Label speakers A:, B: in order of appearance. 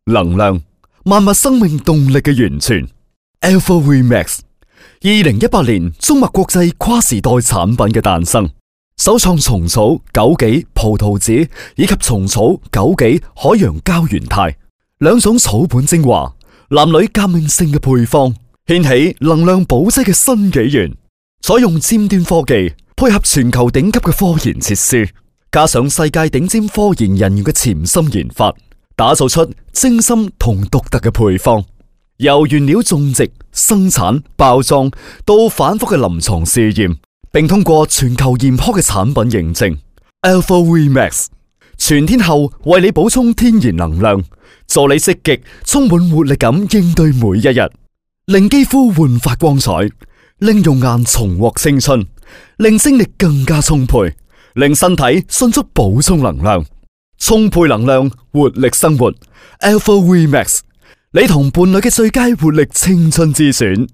A: 能量，萬物生命動力嘅源泉。Alpha Remax， 2018年中麥國際跨時代產品嘅誕生，首創蟲草、枸杞、葡萄籽以及蟲草、枸杞、海洋膠原肽兩種草本精華，男女革命性嘅配方，掀起能量補劑嘅新紀元。採用尖端科技，配合全球頂級嘅科研設施，加上世界頂尖科研人員嘅潛心研發，打造出精心同獨特嘅配方。由原料種植、生產、包裝到反覆嘅臨床試驗，並通過全球嚴苛嘅產品認證。Alpha Remax 全天候為你補充天然能量，助你積極、充滿活力咁應對每一日，令肌膚煥發光彩，令容顏重獲青春，令精力更加充沛，令身體迅速補充能量，充沛能量，活力生活。Alpha Remax， 你同伴侶嘅最佳活力青春之選。